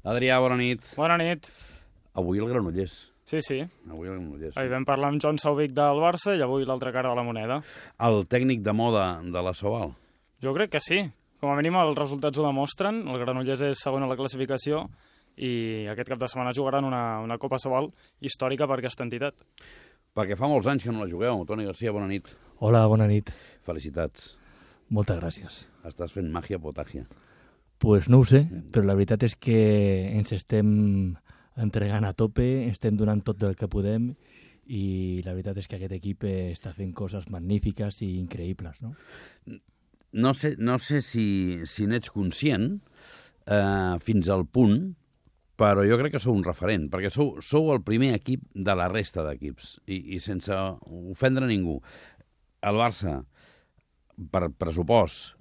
Adrià, bona nit. Bona nit. Avui el Granollers. Sí. Avui el Granollers. Ahir vam parlar amb Joan Sauvic del Barça i avui l'altra cara de la moneda. El tècnic de moda de la Sobal. Jo crec que sí. Com a mínim els resultats ho demostren. El Granollers és segon a la classificació i aquest cap de setmana jugaran una Copa Sobal històrica per aquesta entitat. Perquè fa molts anys que no la jugueu. Toni Garcia, bona nit. Hola, bona nit. Felicitats. Moltes gràcies. Estàs fent màgia potàgia. Pues no ho sé, però la veritat és que ens estem entregant a tope, estem donant tot el que podem i la veritat és que aquest equip està fent coses magnífiques i increïbles, no? No sé si n'ets conscient fins al punt, però jo crec que sou un referent, perquè sou el primer equip de la resta d'equips i sense ofendre ningú. El Barça, per pressupost,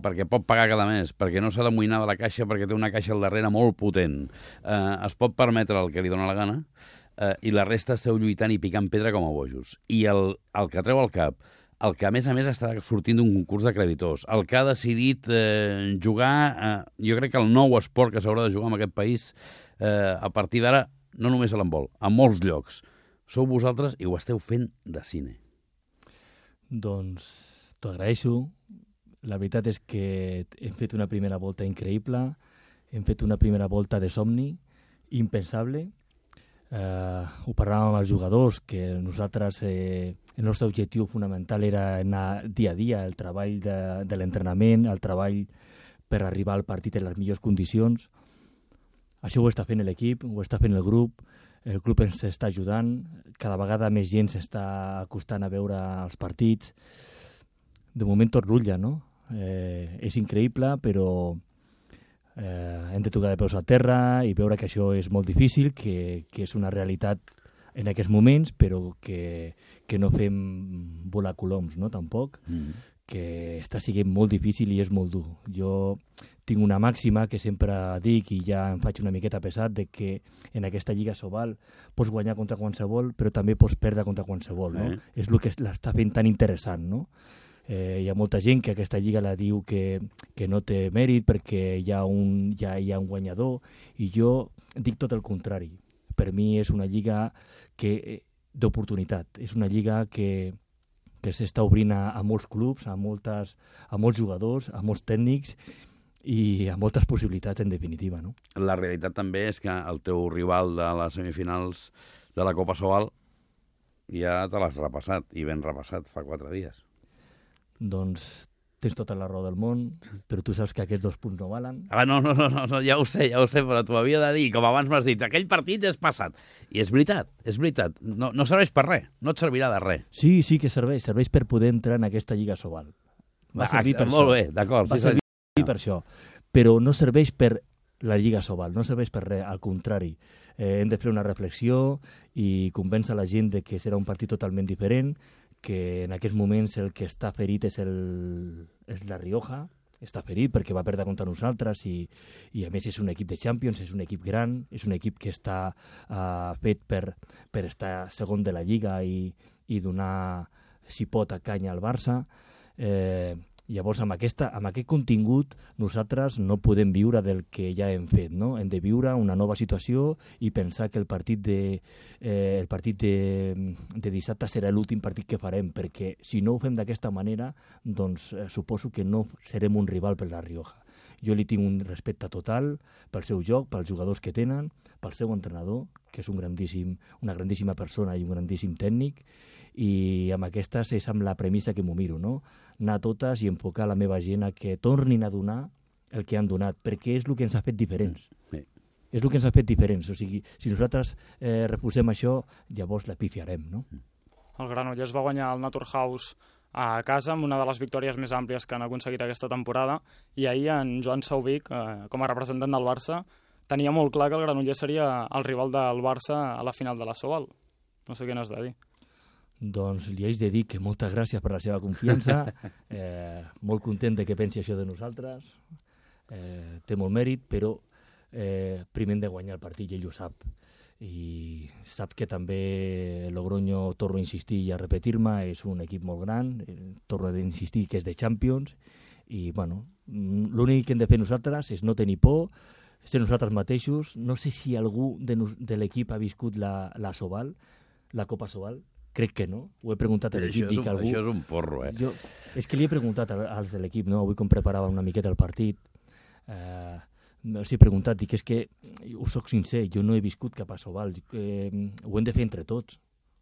perquè pot pagar cada mes, perquè no s'ha d'amoïnar de la caixa, perquè té una caixa al darrere molt potent, es pot permetre el que li dóna la gana, i la resta esteu lluitant i picant pedra com a bojos. I el que treu al cap, el que a més està sortint d'un concurs de creditors, el que ha decidit jugar, jo crec que el nou esport que s'haurà de jugar en aquest país, a partir d'ara, no només a l'handbol, a molts llocs. Sou vosaltres i ho esteu fent de cine. Doncs t'ho agraeixo. La veritat és que hem fet una primera volta increïble, hem fet una primera volta de somni, impensable. Ho parlàvem amb els jugadors, que nosaltres, el nostre objectiu fonamental era anar dia a dia, el treball de l'entrenament, el treball per arribar al partit en les millors condicions. Això ho està fent l'equip, ho està fent el club ens està ajudant, cada vegada més gent s'està acostant a veure els partits. De moment tot rutlla, no? És increïble, però hem de tocar de peus a terra i veure que això és molt difícil, que és una realitat en aquests moments, però que no fem volar coloms, no? Tampoc, que està sent molt difícil i és molt dur. Jo tinc una màxima que sempre dic i ja em faig una miqueta pesat, de que en aquesta Lliga Sobal pots guanyar contra qualsevol, però també pots perdre contra qualsevol, no? És el que l'està fent tan interessant, no? Hi ha molta gent que aquesta lliga la diu que no té mèrit perquè hi ha un guanyador, i jo dic tot el contrari. Per mi és una lliga d'oportunitat, és una lliga que s'està obrint a molts clubs, a molts jugadors, a molts tècnics i a moltes possibilitats, en definitiva, no? La realitat també és que el teu rival de les semifinals de la Copa Sobal ja te l'has repassat, i ben repassat, fa 4 dies. Doncs tens tota la raó del món, però tu saps que aquests 2 punts no valen. No, ja ho sé, però t'ho havia de dir, com abans m'has dit, aquell partit és passat. I és veritat, no serveix per res, no et servirà de res. Sí que serveix per poder entrar en aquesta Lliga Sobal. Va servir per molt bé, d'acord. Va servir per això, però no serveix per la Lliga Sobal, no serveix per res, al contrari. Hem de fer una reflexió i convèncer la gent de que serà un partit totalment diferent, que en aquests moments el que està ferit és la Rioja, està ferit perquè va perdre contra nosaltres i a més és un equip de Champions, és un equip gran, és un equip que està fet per estar segon de la Lliga i donar, si pot, a canya al Barça. Llavors, amb aquest contingut, nosaltres no podem viure del que ja hem fet, no? Hem de viure una nova situació i pensar que el partit de dissabte serà l'últim partit que farem, perquè si no ho fem d'aquesta manera, doncs suposo que no serem un rival per la Rioja. Jo li tinc un respecte total pel seu joc, pels jugadors que tenen, pel seu entrenador, que és una grandíssima persona i un grandíssim tècnic, i amb aquestes és amb la premissa que m'ho miro, no? Anar a totes i enfocar la meva gent a que tornin a donar el que han donat, perquè és el que ens ha fet diferents. És el que ens ha fet diferents. O sigui, si nosaltres refusem això, llavors la pifiarem, no? El Granollers va guanyar el Naturhaus a casa amb una de les victòries més àmplies que han aconseguit aquesta temporada, i ahir en Joan Sauvic, com a representant del Barça, tenia molt clar que el Granollers seria el rival del Barça a la final de la Sobal. No sé què n'has de dir. Doncs li haig de dir que moltes gràcies per la seva confiança, molt content de que pensi això de nosaltres, té molt mèrit, però primer hem de guanyar el partit i ell ho sap. I sap que també Logroño, torno a insistir i a repetir-me, és un equip molt gran, torno a insistir que és de Champions, i bueno, l'únic que hem de fer nosaltres és no tenir por, ser nosaltres mateixos. No sé si algú de l'equip ha viscut la Sobal, la Copa Sobal. Crec que no. Ho he preguntat a l'equip. Això és un porro, eh? És que li he preguntat als de l'equip, no? Avui com preparava una miqueta el partit, els he preguntat, dic, és que us soc sincer, jo no he viscut cap a Sobal, ho hem de fer entre tots.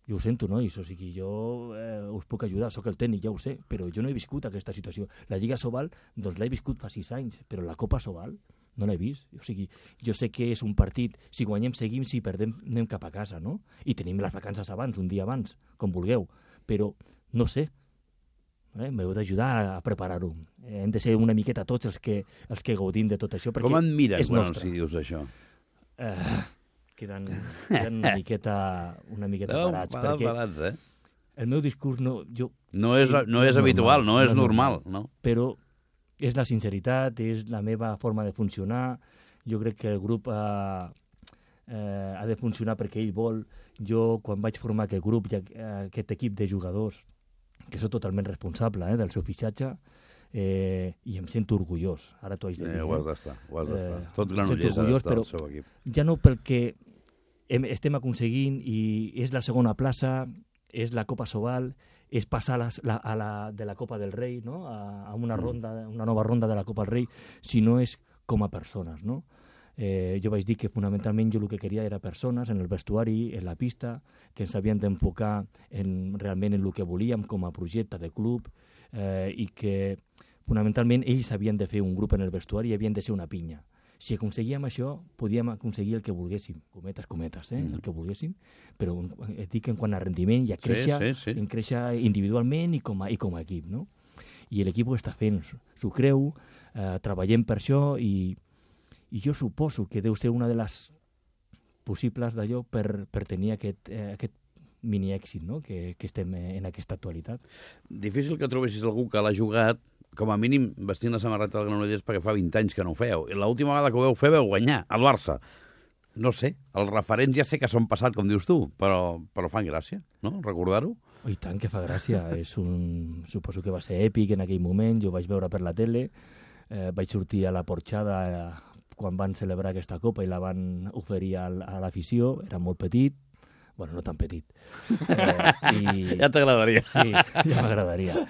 Jo ho sento, nois, o sigui, jo us puc ajudar, sóc el tècnic, ja ho sé, però jo no he viscut aquesta situació. La Lliga Sobal, doncs l'he viscut fa 6 anys, però la Copa Sobal no l'he vist. O sigui, jo sé que és un partit, si guanyem seguim, si perdem anem cap a casa, no? I tenim les vacances abans, un dia abans, com vulgueu, però no sé, m'heu d'ajudar a preparar-ho. Hem de ser una miqueta tots els que gaudim de tot això, perquè com et miren quan nostre. els dius això? Queden una miqueta parats. Parats, eh? El meu discurs no és habitual, no és normal, no? Però és la sinceritat, és la meva forma de funcionar. Jo crec que el grup ha de funcionar perquè ell vol. Jo, quan vaig formar aquest grup, aquest equip de jugadors, que soc totalment responsable del seu fitxatge, i em sento orgullós. Ara t'ho haig de dir. Ho has d'estar. Tot Granollers ha d'estar al seu equip. Ja no perquè estem aconseguint i és la segona plaça, és la Copa Sobal, és passar de la Copa del Rei, no? a una nova ronda de la Copa del Rei, sinó és com a persones, no? Jo vaig dir que fonamentalment jo el que queria era persones en el vestuari, en la pista, que ens havien d'enfocar realment en el que volíem com a projecte de club, i que fonamentalment ells havien de fer un grup en el vestuari i havien de ser una pinya. Si aconseguíem això, podíem aconseguir el que volguéssim, cometes, el que volguéssim, però et dic en quant a rendiment i a créixer, en créixer individualment i com a equip, no? I l'equip ho està fent, s'ho creu, treballem per això i jo suposo que deu ser una de les possibles d'allò per tenir aquest mini èxit, no? que estem en aquesta actualitat. Difícil que trobessis algú que l'ha jugat com a mínim vestint la samarreta del Granollers perquè fa 20 anys que no ho fèieu. I l'última vegada que ho veu fer veu guanyar, al Barça. No sé, els referents ja sé que són passat, com dius tu, però fan gràcia, no?, recordar-ho. I tant que fa gràcia. Suposo que va ser èpic en aquell moment, jo vaig veure per la tele, vaig sortir a la porxada quan van celebrar aquesta copa i la van oferir a l'afició, era molt petit, bueno, no tan petit. Ja t'agradaria. Sí, ja m'agradaria.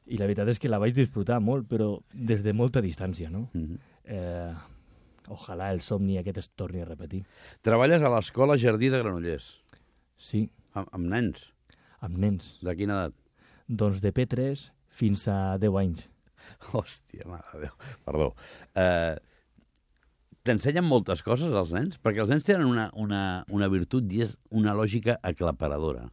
I la veritat és que la vaig disfrutar molt, però des de molta distància, no? Ojalà el somni aquest es torni a repetir. Treballes a l'escola Jardí de Granollers. Sí. Amb nens? Amb nens. De quina edat? Doncs de P3 fins a 10 anys. Hòstia, mare de Déu. Perdó. T'ensenyen moltes coses als nens? Perquè els nens tenen una virtut i és una lògica aclaparadora.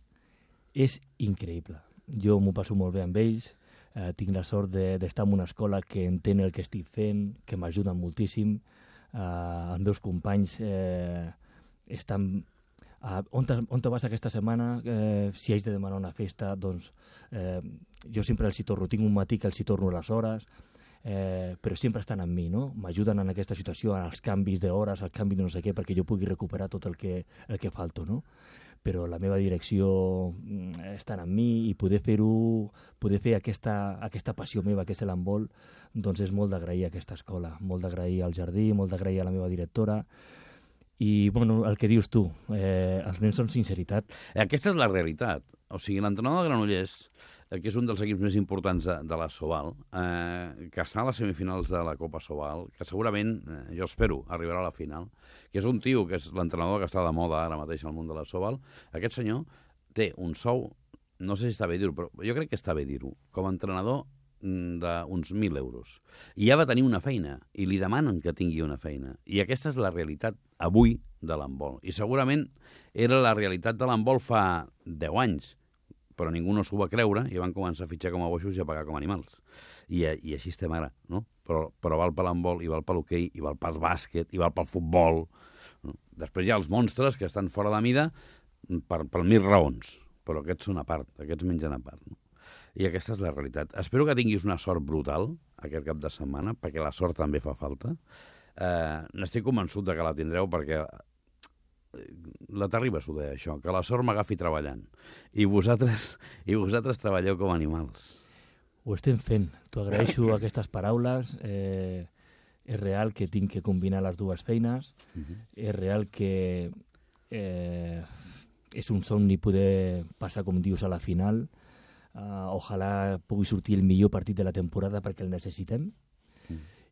És increïble. Jo m'ho passo molt bé amb ells. Tinc la sort d'estar en una escola que entén el que estic fent, que m'ajuden moltíssim. Els meus companys estan... On te vas aquesta setmana? Si haig de demanar una festa, doncs jo sempre els hi torno. Tinc un matí que els hi torno a les hores, però sempre estan amb mi, no? M'ajuden en aquesta situació, en els canvis d'hores, els canvis de no sé què, perquè jo pugui recuperar tot el que falto, no? Però la meva direcció està amb mi i poder fer aquesta passió meva, que és l'handbol, doncs és molt d'agrair a aquesta escola, molt d'agrair al jardí, molt d'agrair a la meva directora. I, bueno, el que dius tu, els nens són sinceritat. Aquesta és la realitat. O sigui, l'entrenador de Granollers, que és un dels equips més importants de la Sobal, que està a les semifinals de la Copa Sobal, que segurament, jo espero, arribarà a la final, que és un tio que és l'entrenador que està de moda ara mateix al món de la Sobal, aquest senyor té un sou, no sé si està bé dir-ho, però jo crec que està bé dir-ho, com a entrenador d'uns 1.000 euros. I ja va tenir una feina, i li demanen que tingui una feina. I aquesta és la realitat avui de l'handbol. I segurament era la realitat de l'handbol fa 10 anys, però ningú no s'ho va creure i van començar a fitxar com a boixos i a pagar com a animals. I així estem ara, no? Però val per l'handbol, i val per l'hoquei, i val pel bàsquet, i val pel futbol. No? Després hi ha els monstres que estan fora de mida per 1.000 raons, però aquests són a part, aquests mengen a part, no? I aquesta és la realitat. Espero que tinguis una sort brutal aquest cap de setmana, perquè la sort també fa falta. N'estic convençut de que la tindreu, perquè la Terribas ho deia, això, que la sort m'agafi treballant. I vosaltres treballeu com animals. Ho estem fent. T'ho agraeixo aquestes paraules. És real que tinc que combinar les dues feines. És real que és un somni poder passar, com dius, a la final. Ojalà pugui sortir el millor partit de la temporada perquè el necessitem.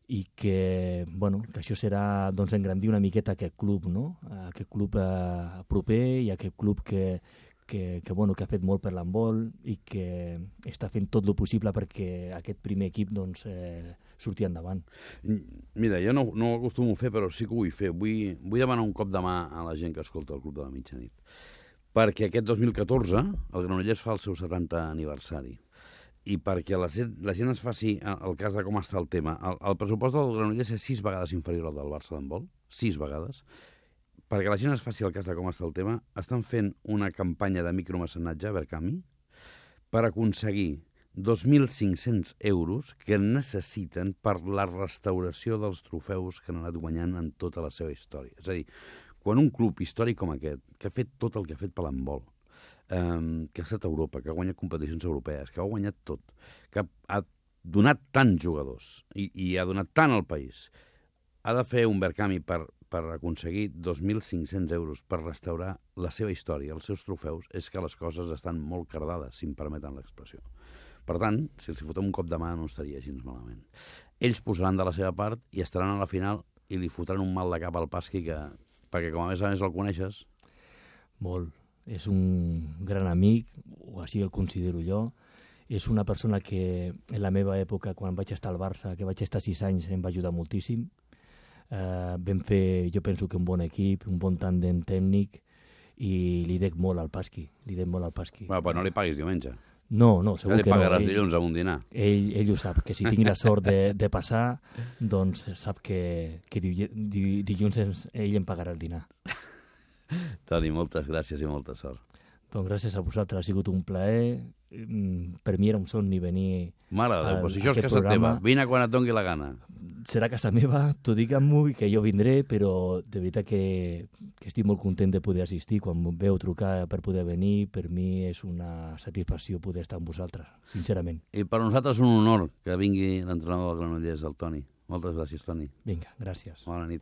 I que, bueno, que això serà engrandir una miqueta aquest club, no? Aquest club proper i aquest club que ha fet molt per l'handbol i que està fent tot el possible perquè aquest primer equip surti endavant. Mira, jo no ho acostumo a fer, però sí que ho vull fer. Vull demanar un cop de mà a la gent que escolta el Club de la Mitjanit. Perquè aquest 2014 el Granollers fa el seu 70 aniversari. I perquè la gent es faci el cas de com està el tema. El pressupost del Granollers és 6 vegades inferior al del Barça d'handbol. 6 vegades. Perquè la gent es faci el cas de com està el tema, estan fent una campanya de micromecenatge a Berkami per aconseguir 2.500 euros que necessiten per la restauració dels trofeus que han anat guanyant en tota la seva història. És a dir, quan un club històric com aquest, que ha fet tot el que ha fet per l'handbol, que ha estat a Europa, que ha guanyat competicions europees, que ha guanyat tot, que ha donat tants jugadors i ha donat tant al país, ha de fer un Berkami per aconseguir 2.500 euros per restaurar la seva història, els seus trofeus, és que les coses estan molt cardades, si em permeten l'expressió. Per tant, si els fotem un cop de mà no estaria gens malament. Ells posaran de la seva part i estaran a la final i li fotran un mal de cap al Pasqui perquè com a més el coneixes... Molt. És un gran amic, o així el considero jo. És una persona que en la meva època, quan vaig estar al Barça, que vaig estar 6 anys, em va ajudar moltíssim. Vam fer, jo penso que un bon equip, un bon tàndem tècnic, i li dec molt al Pasqui. Bueno, però no li paguis diumenge. No, segur que no. Li pagaràs dilluns amb un dinar. Ell ho sap, que si tingui la sort de passar, doncs sap que dilluns ell em pagarà el dinar. Toni, moltes gràcies i molta sort. Doncs gràcies a vosaltres, ha sigut un plaer. Per mi era un somni venir Mare de Déu, però si això és casa teva, vine quan et doni la gana. Serà casa meva, tu digue'm-ho i que jo vindré, però de veritat que estic molt content de poder assistir. Quan em veu trucar per poder venir, per mi és una satisfacció poder estar amb vosaltres, sincerament. I per nosaltres és un honor que vingui l'entrenador del Granollers, el Toni. Moltes gràcies, Toni. Vinga, gràcies. Bona nit.